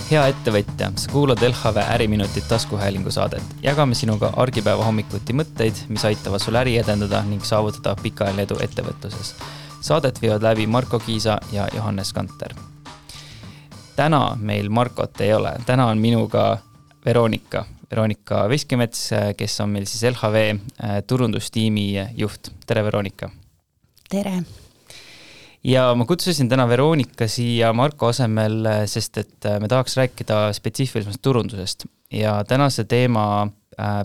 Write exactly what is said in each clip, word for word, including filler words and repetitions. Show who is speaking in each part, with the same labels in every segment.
Speaker 1: Hea ettevõtja, sa kuulad L H V Äriminutit taskuhäälingu saadet. Jagame sinuga argipäeva hommikuti mõtteid, mis aitavad sul äri edendada ning saavutada pikaajaline edu ettevõtluses. Saadet viivad läbi Marko Kiisa ja Johannes Kanter. Täna meil Markot ei ole. Täna on minuga Veronika. Veronika Veskimets, kes on meil siis L H V turundustiimi juht. Tere, Veronika!
Speaker 2: Tere!
Speaker 1: Ja ma kutsusin täna Veronika siia Marko asemel, sest et me tahaks rääkida spetsiifilisest turundusest. Ja tänase teema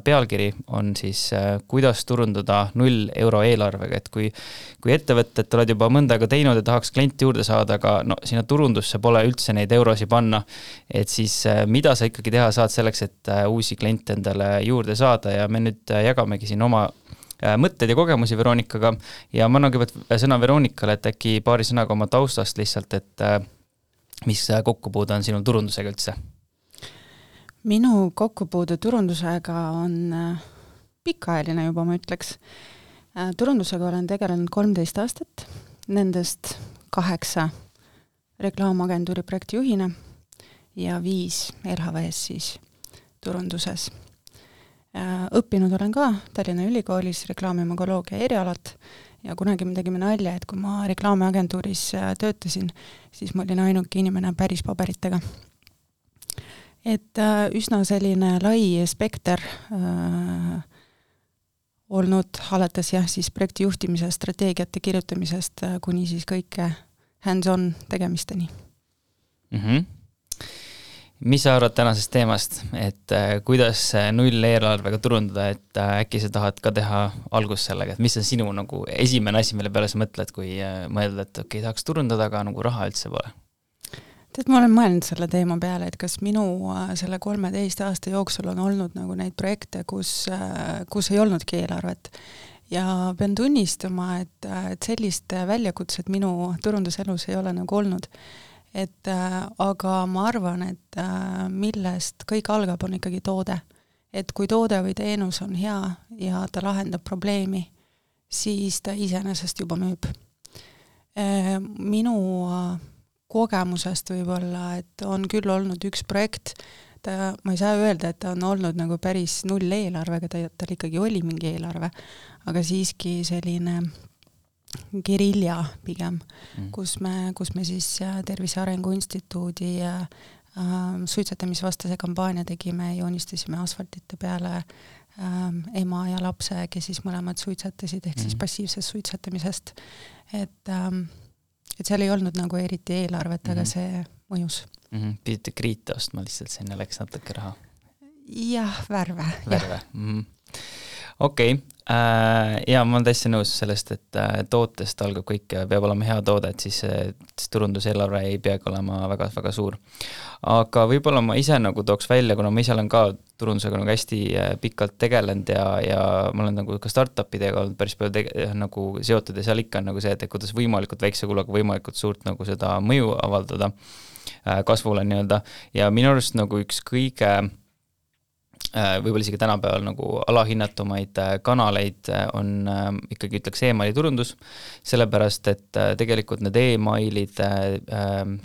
Speaker 1: pealkiri on siis, kuidas turundada null euro eelarvega. Et kui, kui ettevõtted oled juba mõnda aega teinud ja tahaks klienti juurde saada, aga no, sinna turundusse pole üldse neid eurosi panna. Et siis mida sa ikkagi teha saad selleks, et uusi kliente endale juurde saada ja me nüüd jagamegi siin oma mõtted ja kogemusi Veronikaga ja ma annan kõigepealt sõna Veronikale, et äkki paari sõnaga oma taustast lihtsalt, et mis kokkupuude on sinul turundusega üldse?
Speaker 2: Minu kokkupuude turundusega on pikaajaline juba, ma ütleks. Turundusega olen tegelenud kolmteist aastat, nendest kaheksa reklaamagentuuri projektijuhina ja viis L H V-s siis turunduses. Õppinud olen ka Tallinna Ülikoolis reklaamimagoloogia erialat ja kunagi me tegime nalja, et kui ma reklaamiagentuuris töötasin, siis ma olin ainuke inimene päris paberitega. Et üsna selline lai spekter äh, olnud alates jah, siis projekti juhtimise strateegiate kirjutamisest kuni siis kõike hands-on tegemisteni.
Speaker 1: Mhm. Mis sa arvad tänasest teemast, et äh, kuidas null eelarvega turundada, et äh, äkki sa tahad ka teha algust sellega, et mis on sinu nagu esimene asi, mille peale sa mõtled, kui äh, mõelda, et okei, tahaks turundada, aga nagu raha üldse pole?
Speaker 2: Tead, ma olen mõelnud selle teema peale, et kas minu äh, selle kolmeteist aasta jooksul on olnud nagu neid projekte, kus, äh, kus ei olnudki eelarvet. Ja pean tunnistama, et, et sellist väljakutset minu turunduselus ei ole nagu olnud. Et, äh, aga ma arvan, et äh, millest kõik algab on ikkagi toode. Et kui toode või teenus on hea ja ta lahendab probleemi, siis ta iseenesest juba müüb. Äh, minu äh, kogemusest võib-olla, et on küll olnud üks projekt, ta, ma ei saa öelda, et ta on olnud nagu päris null eelarvega, ta, tal ikkagi oli mingi eelarve, aga siiski selline gerilja pigem, mm. kus, me, kus me siis Tervise Arengu Instituudi äh, suitsetamisvastase kampaania tegime, joonistasime asfaltite peale äh, ema ja lapse, kes siis mõlemad suitsetasid, ehk mm. siis passiivsest suitsetamisest. Et, ähm, et seal ei olnud nagu eriti eelarvet, mm. aga see mõjus.
Speaker 1: Mm-hmm. Pidite kriite ostma lihtsalt, sinna läks natuke raha?
Speaker 2: Jah, värve.
Speaker 1: Värve, mm-hmm. Okei, okay. ja ma olen täiesti nõus sellest, et tootest algab kõik ja peab olema hea toode, et siis, siis turunduseelarve ei peagi olema väga, väga suur. Aga võib-olla ma ise nagu tooks välja, kuna ma ise olen ka turundusega nagu hästi pikalt tegelenud ja, ja ma olen nagu ka startupidega olnud päris palju tege, nagu seotud ja seal ikka on nagu see, et kuidas võimalikult väikse kuluga võimalikult suurt nagu seda mõju avaldada kasvule nii-öelda. Ja minu arust nagu üks kõige võib-olla isegi tänapäeval nagu alahinnatumaid kanaleid on ikkagi ütleks e-maili turundus, sellepärast, et tegelikult need e-mailid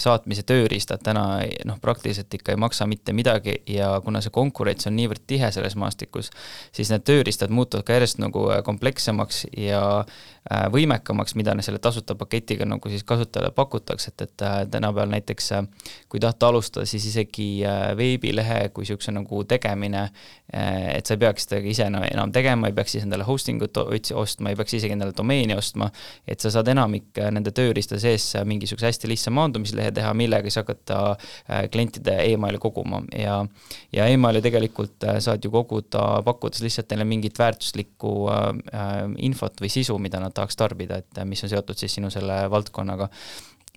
Speaker 1: saatmise tööriistad täna noh, praktiliselt ikka ei maksa mitte midagi ja kuna see konkurents on niivõrd tihe selles maastikus, siis need tööriistad muutuvad ka järjest nagu komplekssemaks ja võimekamaks, mida selle tasuta paketiga nagu siis kasutajale pakutakse, et, et tänapäeval näiteks kui tahta alustada, siis isegi veebilehe kui siukse nagu tegemine, et sa ei peaks seda ise enam tegema, ei peaks siis endale hostingut ostma, ei peaks isegi endale domeeni ostma, et sa saad enamik nende tööriista sees mingisuguse hästi lihtsa maandumislehe teha, millega siis hakata klientide e-maili koguma ja, ja e-maili tegelikult saad ju koguda, pakkudes lihtsalt neile mingit väärtuslikku infot või sisu, mida nad tahaks tarbida, et mis on seotud siis sinu selle valdkonnaga.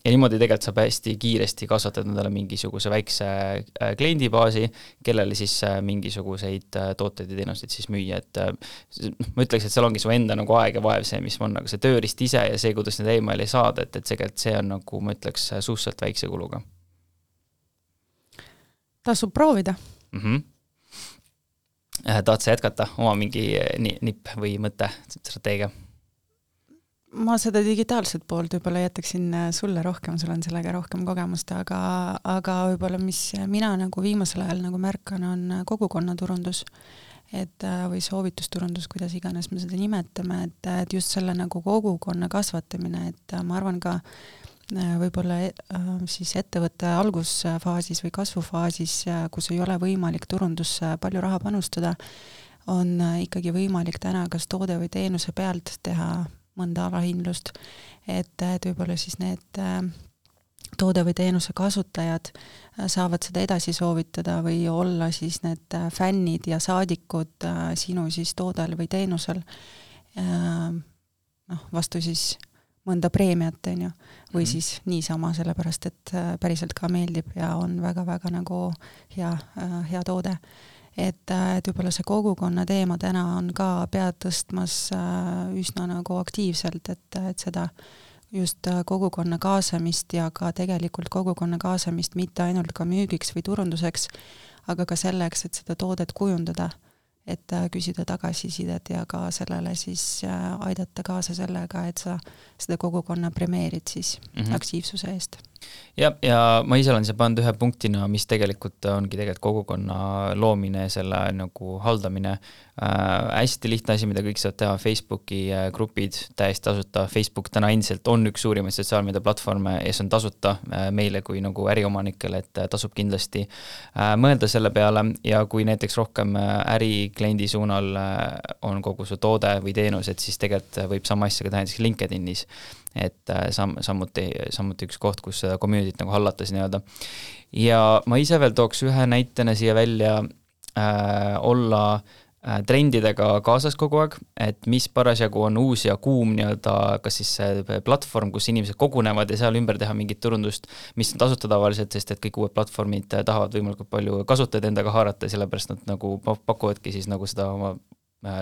Speaker 1: Ja niimoodi tegelikult saab hästi kiiresti kasvatada endale mingisuguse väikse kliendibaasi, kellele siis mingisuguseid tooteid ja teenuseid siis müüa. Et ma ütleks, et seal ongi su enda nagu aeg ja vaev see, mis on nagu see tööriist ise ja see, kuidas need e-maili saada, et, et tegelikult see on nagu, ma ütleks, suhteliselt väikse kuluga.
Speaker 2: Tasub proovida.
Speaker 1: Mhm. Tahad sa jätkata oma mingi nipp või mõte strateegia?
Speaker 2: ma seda digitaalset poolt võib-olla jätaksin sulle rohkem, sul on sellega rohkem kogemust, aga, aga võib-olla mis mina nagu viimasel ajal nagu märkan, on kogukonnaturundus, et või soovitusturundus, kuidas iganes me seda nimetame, et, et just selle nagu kogukonna kasvatamine, et ma arvan ka võib-olla siis ettevõtte algusfaasis või kasvufaasis, kus ei ole võimalik turundusse palju raha panustada, on ikkagi võimalik täna kas toode või teenuse pealt teha mõnda alahindlust, et, et võib-olla siis need toode või teenuse kasutajad saavad seda edasi soovitada või olla siis need fännid ja saadikud sinu siis toodel või teenusel noh, vastu siis mõnda preemiat, on ju, või mm-hmm. siis niisama, sellepärast et päriselt ka meeldib ja on väga-väga nagu hea, hea toode. Et, et võib-olla see kogukonna teema täna on ka pead tõstmas üsna nagu aktiivselt, et, et seda just kogukonna kaasamist ja ka tegelikult kogukonna kaasamist mitte ainult ka müügiks või turunduseks, aga ka selleks, et seda toodet kujundada, et küsida tagasisidet ja ka sellele siis aidata kaasa sellega, et sa seda kogukonna premeerid siis mm-hmm. aktiivsuse eest.
Speaker 1: Ja, ja ma ise olen see pannud ühe punktina, mis tegelikult ongi tegelikult kogukonna loomine, selle nagu haldamine. Äh, hästi lihtne asi, mida kõik saavad teha, Facebooki grupid, täiesti tasuta. Facebook täna endiselt on üks suurimaid sotsiaalmeedia platvorme ja see on tasuta äh, meile kui nagu äriomanikele, et tasub kindlasti äh, mõelda selle peale ja kui näiteks rohkem ärikliendi suunal on kogu su toode või teenus, et siis tegelikult võib sama asja ka teha näiteks LinkedInis. Et sam, samuti, samuti üks koht, kus seda communityt nagu hallatas nii-öelda. Ja ma ise veel tooks ühe näitena siia välja äh, olla äh, trendidega kaasas kogu aeg, et mis parasjagu on uus ja kuum nii-öelda, kas siis see platvorm, kus inimesed kogunevad ja seal ümber teha mingit turundust, mis on tasuta tavaliselt, sest et kõik uued platvormid tahavad võimalikult palju kasutajaid endaga haarata, sellepärast nad nagu pakuvadki siis nagu seda oma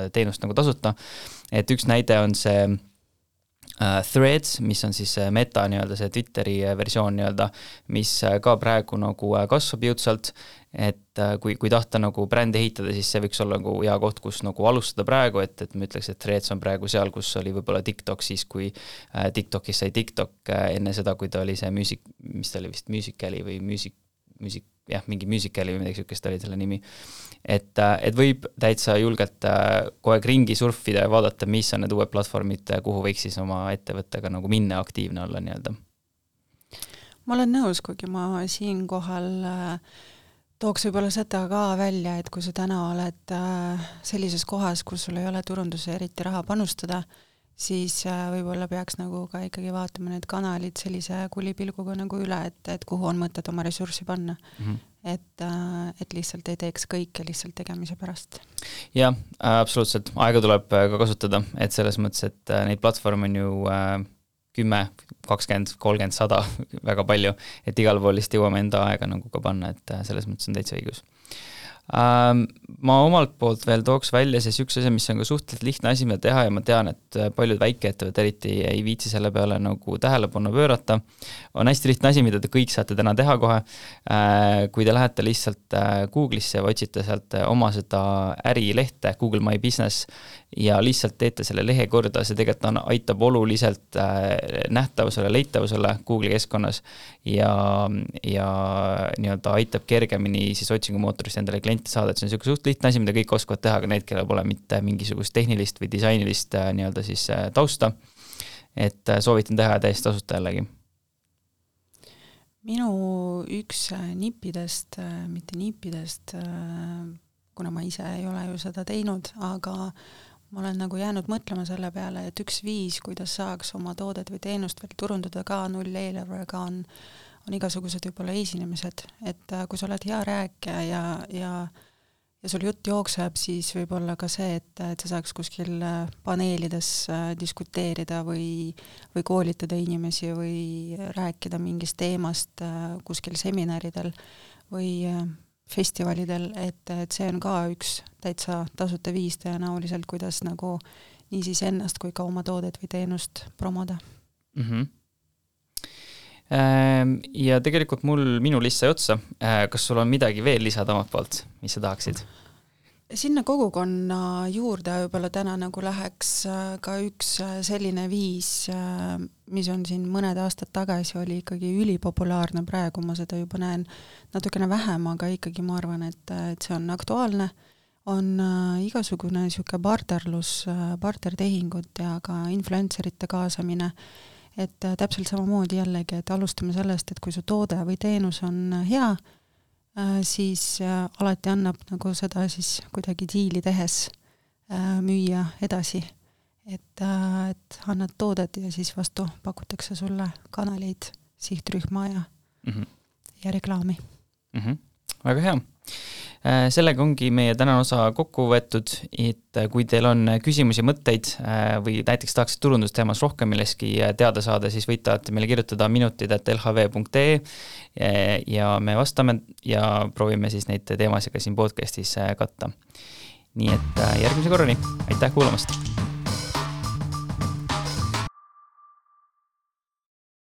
Speaker 1: teenust nagu tasuta. Et üks näide on see Uh, Threads, mis on siis meta nii-öelda see Twitteri versioon nii-öelda, mis ka praegu nagu kasvab jõudsalt, et kui, kui tahta nagu brändi ehitada, siis see võiks olla nagu hea koht, kus nagu alustada praegu, et, et ma ütleks, et Threads on praegu seal, kus oli võib-olla TikTok siis, kui TikTokis sai TikTok enne seda, kui ta oli see music, mis ta oli vist Musicali või music, music, jah, mingi Musicali või midagi sükest oli selle nimi. Et, et võib täitsa julgelt kogu aeg ringi surfida ja vaadata, mis on need uued platvormid, kuhu võiks siis oma ettevõttega nagu minna aktiivne olla nii-öelda.
Speaker 2: Ma olen nõus, kuigi ma siin kohal tooks võib-olla seda ka välja, et kui sa täna oled sellises kohas, kus sul ei ole turunduse eriti raha panustada, siis võib-olla peaks nagu ka ikkagi vaatama need kanalid sellise kulipilguga nagu üle, et, et kuhu on mõtet oma ressurssi panna. Mm-hmm. Et, et lihtsalt ei teeks kõike lihtsalt tegemise pärast.
Speaker 1: Jah, absoluutselt. Aega tuleb ka kasutada, et selles mõttes, et neid platvorme on ju kümme, kakskümmend, kolmkümmend, sada väga palju, et igal pool lihtsalt jõuame enda aega nagu ka panna, et selles mõttes on täitsa õigus. Ma omalt poolt veel tooks välja siis üks asi, mis on ka suhteliselt lihtne asi, mida teha ja ma tean, et paljud väikeettevõtted eriti ei viitsi selle peale nagu tähelepanu pöörata. On hästi lihtne asi, mida te kõik saate täna teha kohe. Kui te lähete lihtsalt Google'isse ja otsite sealt oma seda ärilehte, Google My Business, ja lihtsalt teete selle lehe korda, see tegelikult on, aitab oluliselt nähtavusele, leitavusele Google keskkonnas ja, ja nii-öelda aitab kergemini siis otsingumootorist endale kliente saada, et see on selline suht lihtne asi, mida kõik oskavad teha, aga need, kellel pole mitte mingisugust tehnilist või disainilist nii-öelda siis tausta, et soovitan teha täiesti tasuta jällegi.
Speaker 2: Minu üks nippidest, mitte nippidest, kuna ma ise ei ole ju seda teinud, aga ma olen nagu jäänud mõtlema selle peale, et üks viis, kuidas saaks oma toodet või teenust veel turundada ka null eelarvega on, on igasugused võib-olla esinemised, et kui sa oled hea rääkija ja, ja, ja sul jutt jookseb, siis võib-olla ka see, et, et sa saaks kuskil paneelides diskuteerida või, või koolitada inimesi või rääkida mingist teemast kuskil seminaridel või festivalidel, et, et see on ka üks täitsa tasuta viis tõenäoliselt, kuidas nagu nii siis ennast kui ka oma toodet või teenust promoda.
Speaker 1: Mm-hmm. Ja tegelikult mul minu list sai otsa. Kas sul on midagi veel lisada omalt poolt, mis sa tahaksid?
Speaker 2: sinna kogukonna juurde võib-olla täna nagu läheks ka üks selline viis, mis on siin mõned aastad tagasi oli ikkagi ülipopulaarne, praegu ma seda juba näen natukene vähem, aga ikkagi ma arvan, et, et see on aktuaalne, on igasugune niisugune barterlus, bartertehingud ja ka influencerite kaasamine, et täpselt samamoodi jällegi, et alustame sellest, et kui su toode või teenus on hea, siis alati annab nagu seda siis kuidagi diili tehes müüa edasi, et, et annad toodet ja siis vastu pakutakse sulle kanaleid, sihtrühma ja, mm-hmm. ja reklaami.
Speaker 1: Mm-hmm. Väga hea. Sellega ongi meie tänane osa kokku võetud, et kui teil on küsimusi, mõtteid või näiteks tahaks turundusteemas rohkem milleski teada saada, siis võite meile kirjutada minutid at l h v punkt e ja me vastame ja proovime siis neid teemasid ka siin podcastis katta. Nii et järgmise korrani, aitäh kuulamast!